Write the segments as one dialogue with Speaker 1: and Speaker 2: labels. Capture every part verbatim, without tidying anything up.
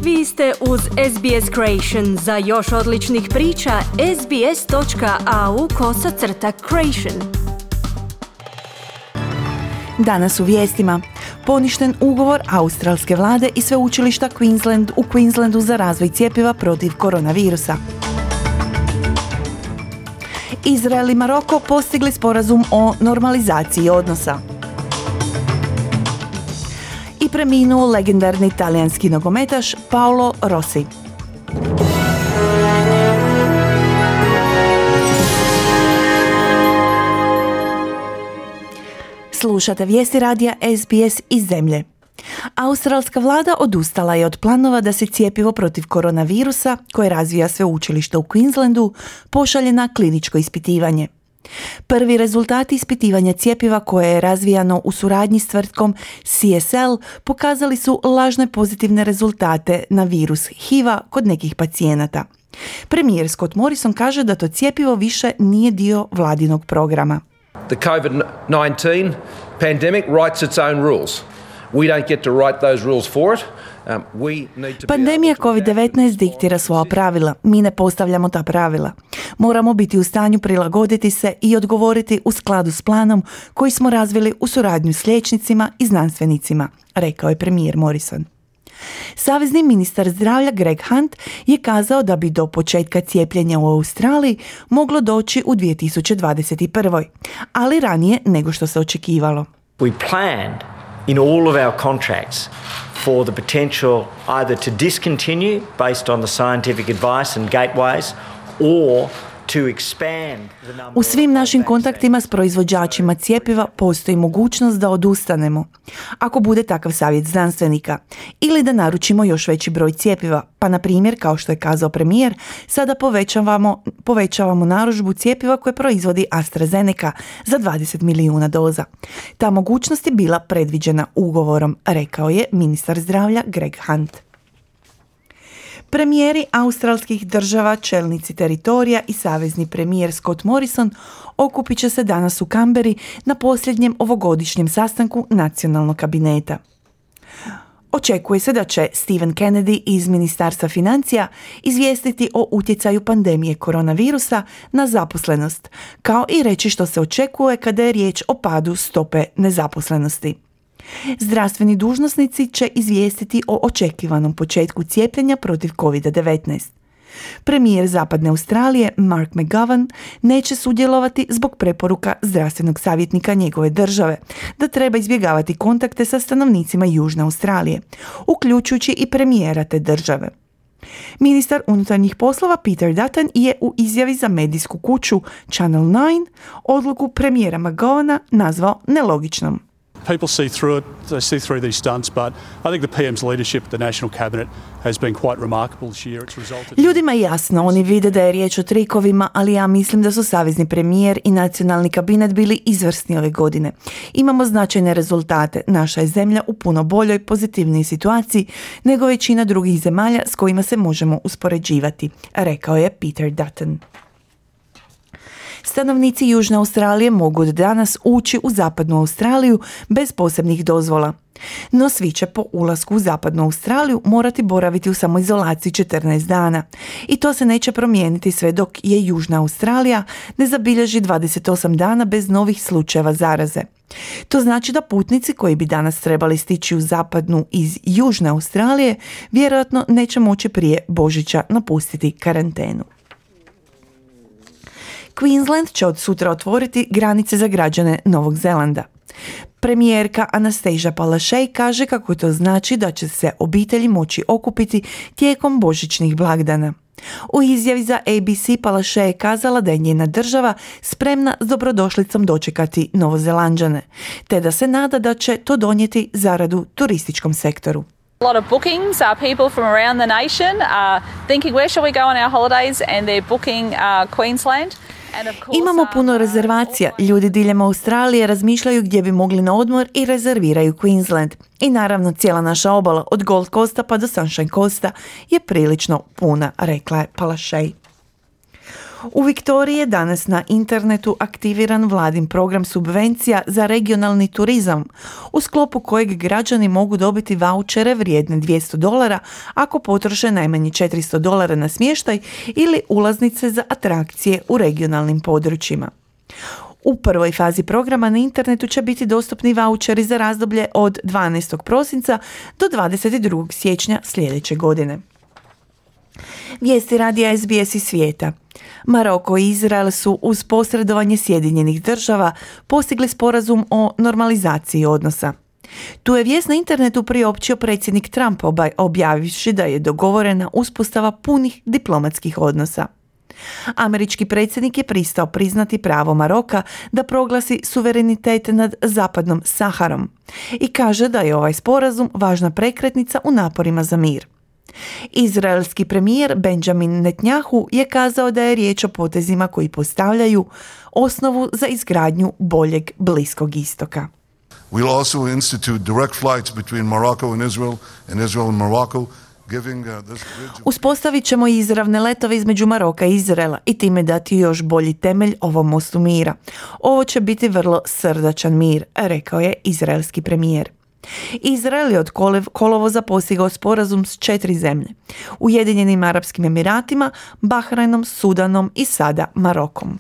Speaker 1: Vi ste uz S B S Creation. Za još odličnih priča, sbs.au kosacrta creation.
Speaker 2: Danas u vijestima. Poništen ugovor australske vlade i sveučilišta Queensland u Queenslandu za razvoj cjepiva protiv koronavirusa. Izrael i Maroko postigli sporazum o normalizaciji odnosa. I preminuo legendarni talijanski nogometaš Paolo Rossi. Slušate vijesti radija S B S iz zemlje. Australska vlada odustala je od planova da se cjepivo protiv koronavirusa, koje razvija sveučilište u Queenslandu, pošalje na kliničko ispitivanje. Prvi rezultati ispitivanja cjepiva koje je razvijano u suradnji s tvrtkom C S L pokazali su lažne pozitivne rezultate na virus H I V-a kod nekih pacijenata. Premijer Scott Morrison kaže da to cjepivo više nije dio vladinog programa.
Speaker 3: The covid nineteen pandemic writes its own rules. We don't get to write those rules for it. Um, we need to
Speaker 2: Pandemija covid devetnaest diktira svoja pravila. Mi ne postavljamo ta pravila. Moramo biti u stanju prilagoditi se i odgovoriti u skladu s planom koji smo razvili u suradnju s liječnicima i znanstvenicima, rekao je premijer Morrison. Savezni ministar zdravlja Greg Hunt je kazao da bi do početka cijepljenja u Australiji moglo doći u dvije tisuće dvadeset prve. ali ranije nego što se očekivalo.
Speaker 4: We planned in all of our contracts for the potential either to discontinue based on the scientific advice and gateways or to expand the number.
Speaker 2: U svim našim kontaktima s proizvođačima cjepiva postoji mogućnost da odustanemo, ako bude takav savjet znanstvenika, ili da naručimo još veći broj cjepiva, pa na primjer, kao što je kazao premijer, sada povećavamo, povećavamo narudžbu cjepiva koje proizvodi AstraZeneca za dvadeset milijuna doza. Ta mogućnost je bila predviđena ugovorom, rekao je ministar zdravlja Greg Hunt. Premijeri australskih država, čelnici teritorija i savezni premijer Scott Morrison okupit će se danas u Kamberi na posljednjem ovogodišnjem sastanku nacionalnog kabineta. Očekuje se da će Stephen Kennedy iz Ministarstva financija izvijestiti o utjecaju pandemije koronavirusa na zaposlenost, kao i reći što se očekuje kada je riječ o padu stope nezaposlenosti. Zdravstveni dužnosnici će izvijestiti o očekivanom početku cijepljenja protiv covid devetnaest. Premijer Zapadne Australije Mark McGowan neće sudjelovati zbog preporuka zdravstvenog savjetnika njegove države da treba izbjegavati kontakte sa stanovnicima Južne Australije, uključujući i premijera te države. Ministar unutarnjih poslova Peter Dutton je u izjavi za medijsku kuću Channel devet odluku premijera McGowana nazvao nelogičnom.
Speaker 5: People see through it, they see through these stunts, but I think the P M's leadership at the National Cabinet has been quite remarkable this year. It's resulted...
Speaker 2: Ljudima je jasno, oni vide da je riječ o trikovima, ali ja mislim da su savezni premijer i nacionalni kabinet bili izvrsni ove godine. Imamo značajne rezultate. Naša je zemlja u puno boljoj, pozitivnijoj situaciji nego većina drugih zemalja s kojima se možemo uspoređivati, rekao je Peter Dutton. Stanovnici Južne Australije mogu od danas ući u Zapadnu Australiju bez posebnih dozvola. No svi će po ulasku u Zapadnu Australiju morati boraviti u samoizolaciji četrnaest dana. I to se neće promijeniti sve dok je Južna Australija ne zabilježi dvadeset osam dana bez novih slučajeva zaraze. To znači da putnici koji bi danas trebali stići u Zapadnu iz Južne Australije vjerojatno neće moći prije Božića napustiti karantenu. Queensland će od sutra otvoriti granice za građane Novog Zelanda. Premijerka Anastasia Palaszczuk kaže kako to znači da će se obitelji moći okupiti tijekom božićnih blagdana. U izjavi za A B C Palaszczuk je kazala da je njena država spremna s dobrodošlicom dočekati Novozelanđane, te da se nada da će to donijeti zaradu turističkom sektoru.
Speaker 6: A lot of bookings, uh, people from around the nation are thinking where shall we go on our holidays and they're booking uh, Queensland.
Speaker 2: Imamo puno rezervacija. Ljudi diljem Australije razmišljaju gdje bi mogli na odmor i rezerviraju Queensland. I naravno cijela naša obala od Gold Coasta pa do Sunshine Coasta je prilično puna, rekla je Palaszczuk. U Viktoriji je danas na internetu aktiviran vladin program subvencija za regionalni turizam, u sklopu kojeg građani mogu dobiti vaučere vrijedne dvjesto dolara ako potroše najmanje četiristo dolara na smještaj ili ulaznice za atrakcije u regionalnim područjima. U prvoj fazi programa na internetu će biti dostupni vaučeri za razdoblje od dvanaestog prosinca do dvadeset drugog siječnja sljedeće godine. Vijesti radija S B S iz svijeta. Maroko i Izrael su uz posredovanje Sjedinjenih država postigli sporazum o normalizaciji odnosa. Tu je vijest na internetu priopćio predsjednik Trump, objavivši da je dogovorena uspostava punih diplomatskih odnosa. Američki predsjednik je pristao priznati pravo Maroka da proglasi suverenitet nad zapadnom Saharom i kaže da je ovaj sporazum važna prekretnica u naporima za mir. Izraelski premijer Benjamin Netanyahu je kazao da je riječ o potezima koji postavljaju osnovu za izgradnju boljeg Bliskog istoka.
Speaker 7: We'll also institute direct flights between Morocco and Israel and Israel and Morocco.
Speaker 2: Uspostavit ćemo izravne letove između Maroka i Izraela i time dati još bolji temelj ovom mostu mira. Ovo će biti vrlo srdačan mir, rekao je izraelski premijer. Izrael je od kolovoza postigao sporazum s četiri zemlje: Ujedinjenim Arapskim Emiratima, Bahrajnom, Sudanom i sada Marokom.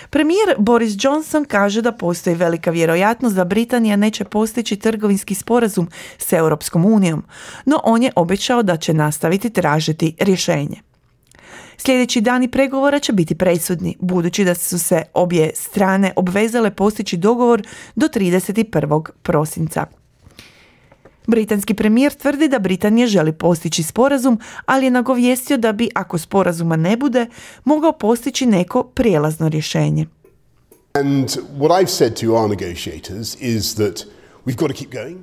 Speaker 2: Premijer Boris Johnson kaže da postoji velika vjerojatnost da Britanija neće postići trgovinski sporazum s Europskom unijom, no on je obećao da će nastaviti tražiti rješenje. Sljedeći dani pregovora će biti presudni, budući da su se obje strane obvezale postići dogovor do trideset prvog prosinca. Britanski premijer tvrdi da Britanija želi postići sporazum, ali je nagovijestio da bi, ako sporazuma ne bude, mogao postići neko prijelazno rješenje.
Speaker 8: And what I've said to our negotiators is that we've got to keep going.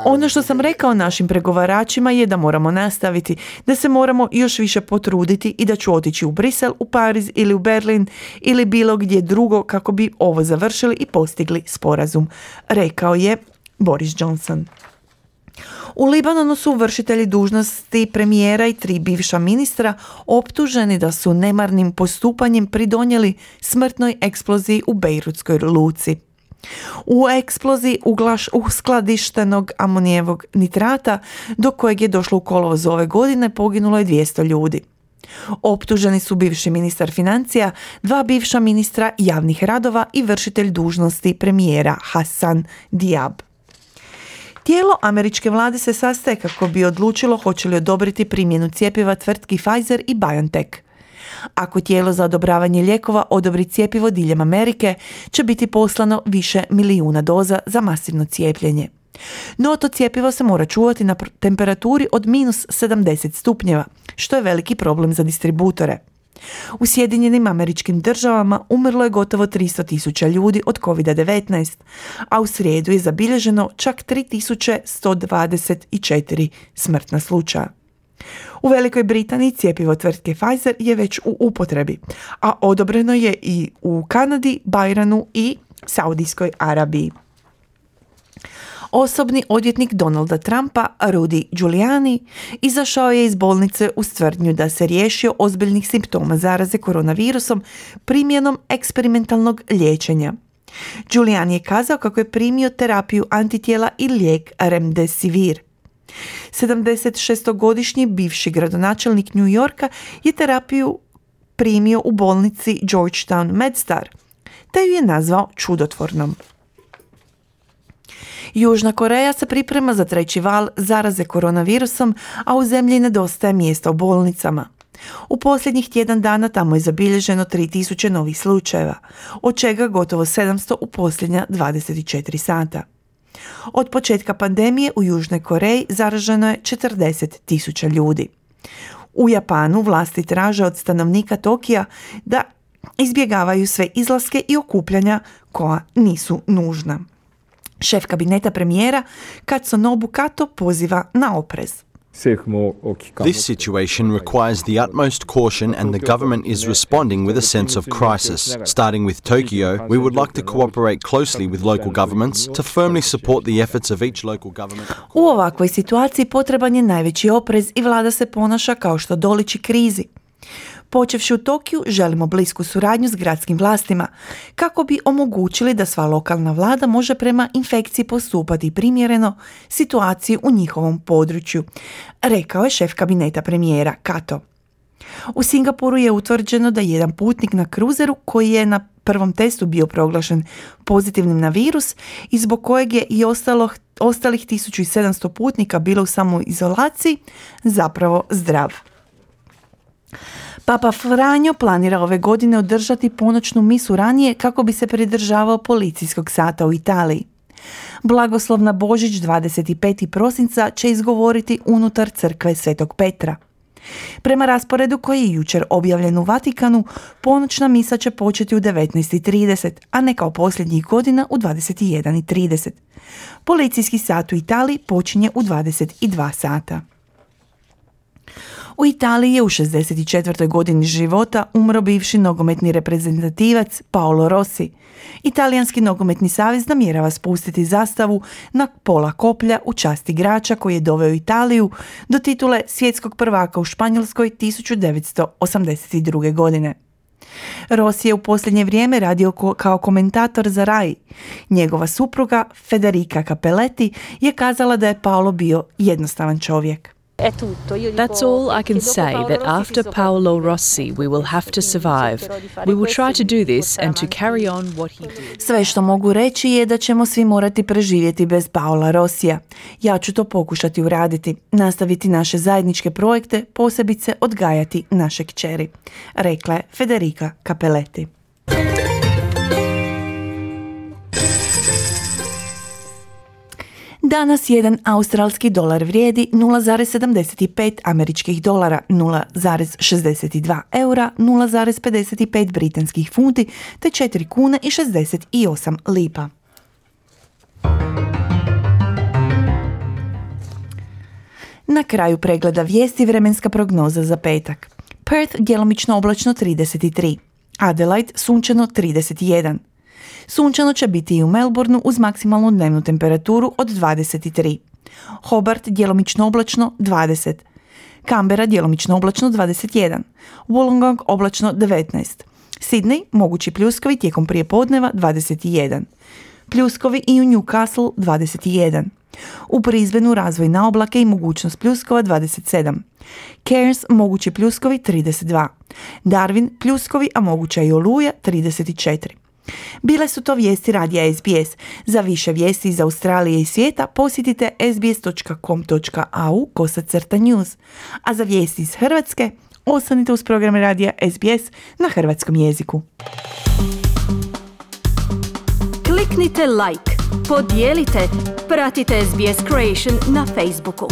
Speaker 2: Ono što sam rekao našim pregovaračima je da moramo nastaviti, da se moramo još više potruditi i da ću otići u Brisel, u Pariz ili u Berlin ili bilo gdje drugo kako bi ovo završili i postigli sporazum, rekao je Boris Johnson. U Libanonu su vršitelji dužnosti premijera i tri bivša ministra optuženi da su nemarnim postupanjem pridonijeli smrtnoj eksploziji u Bejrutskoj luci. U eksploziji uglaš, uskladištenog amonijevog nitrata, do kojeg je došlo u kolovozu ove godine, poginulo je dvjesto ljudi. Optuženi su bivši ministar financija, dva bivša ministra javnih radova i vršitelj dužnosti premijera Hassan Diab. Tijelo američke vlade se sastaje kako bi odlučilo hoće li odobriti primjenu cjepiva tvrtki Pfizer i BioNTech. Ako tijelo za odobravanje lijekova odobri cjepivo diljem Amerike, će biti poslano više milijuna doza za masivno cijepljenje. No to cjepivo se mora čuvati na temperaturi od minus sedamdeset stupnjeva, što je veliki problem za distributore. U Sjedinjenim Američkim Državama umrlo je gotovo tristo tisuća ljudi od kovid devetnaest, a u srijedu je zabilježeno čak tri tisuće sto dvadeset četiri smrtna slučaja. U Velikoj Britaniji cjepivo tvrtke Pfizer je već u upotrebi, a odobreno je i u Kanadi, Bahrajnu i Saudijskoj Arabiji. Osobni odvjetnik Donalda Trumpa, Rudy Giuliani, izašao je iz bolnice uz tvrdnju da se riješio ozbiljnih simptoma zaraze koronavirusom primjenom eksperimentalnog liječenja. Giuliani je kazao kako je primio terapiju antitijela i lijek Remdesivir. sedamdesetšestogodišnji bivši gradonačelnik New Yorka je terapiju primio u bolnici Georgetown MedStar, te ju je nazvao čudotvornom. Južna Koreja se priprema za treći val zaraze koronavirusom, a u zemlji nedostaje mjesta u bolnicama. U posljednjih tjedan dana tamo je zabilježeno tri tisuće novih slučajeva, od čega gotovo sedamsto u posljednja dvadeset četiri sata. Od početka pandemije u Južnoj Koreji zaraženo je četrdeset tisuća ljudi. U Japanu vlasti traže od stanovnika Tokija da izbjegavaju sve izlaske i okupljanja koja nisu nužna. Šef kabineta premijera Katsunobu Kato poziva na oprez.
Speaker 9: This situation requires the utmost caution and the government is responding with a sense of crisis. Starting with Tokyo, we would like to cooperate closely with local governments to firmly support the efforts of each local government.
Speaker 2: U ovakvoj situaciji potreban je najveći oprez i vlada se ponaša kao što doliči krizi. Počevši u Tokiju, želimo blisku suradnju s gradskim vlastima kako bi omogućili da sva lokalna vlada može prema infekciji postupati primjereno situaciji u njihovom području, rekao je šef kabineta premijera Kato. U Singapuru je utvrđeno da jedan putnik na kruzeru koji je na prvom testu bio proglašen pozitivnim na virus i zbog kojeg je i ostalo, ostalih tisuću sedamsto putnika bilo u samoizolaciji zapravo zdrav. Papa Franjo planira ove godine održati ponoćnu misu ranije kako bi se pridržavao policijskog sata u Italiji. Blagoslov na Božić dvadeset petog prosinca će izgovoriti unutar crkve Svetog Petra. Prema rasporedu koji je jučer objavljen u Vatikanu, ponoćna misa će početi u devetnaest i trideset, a ne kao posljednjih godina u dvadeset jedan i trideset. Policijski sat u Italiji počinje u dvadeset dva sata. U Italiji je u šezdeset četvrtoj godini života umro bivši nogometni reprezentativac Paolo Rossi. Italijanski nogometni savez namjerava spustiti zastavu na pola koplja u čast igrača koji je doveo Italiju do titule svjetskog prvaka u Španjolskoj tisuću devetsto osamdeset druge. godine. Rossi je u posljednje vrijeme radio ko- kao komentator za Rai. Njegova supruga Federica Capelletti je kazala da je Paolo bio jednostavan čovjek.
Speaker 10: That's all I can say, that after Paolo Rossi we will have to survive. We will try to do this and to carry on what he did.
Speaker 2: Sve što mogu reći je da ćemo svi morati preživjeti bez Paola Rossija. Ja ću to pokušati uraditi, nastaviti naše zajedničke projekte, posebice odgajati naše kćeri, rekla je Federica Capelletti. Danas jedan australski dolar vrijedi nula zarez sedamdeset pet američkih dolara, nula zarez šezdeset dva eura, nula zarez pedeset pet britanskih funti te četiri kune i šezdeset osam lipa. Na kraju pregleda vijesti vremenska prognoza za petak. Perth djelomično oblačno trideset tri, Adelaide sunčano trideset jedan. Sunčano će biti i u Melbourneu uz maksimalnu dnevnu temperaturu od dvadeset tri. Hobart djelomično oblačno dvadeset. Canberra djelomično oblačno dvadeset jedan. Wollongong oblačno devetnaest. Sydney mogući pljuskovi tijekom prijepodneva dvadeset jedan. Pljuskovi i u Newcastle dvadeset jedan. U Brisbaneu razvoj na oblake i mogućnost pljuskova dvadeset sedam. Cairns mogući pljuskovi trideset dva. Darwin pljuskovi, a moguća i oluja trideset četiri. Bile su to vijesti radija S B S. Za više vijesti iz Australije i svijeta posjetite sbs.com.au kosacrta news. A za vijesti iz Hrvatske ostanite uz program radija S B S na hrvatskom jeziku.
Speaker 1: Kliknite like, podijelite, pratite S B S Creation na Facebooku.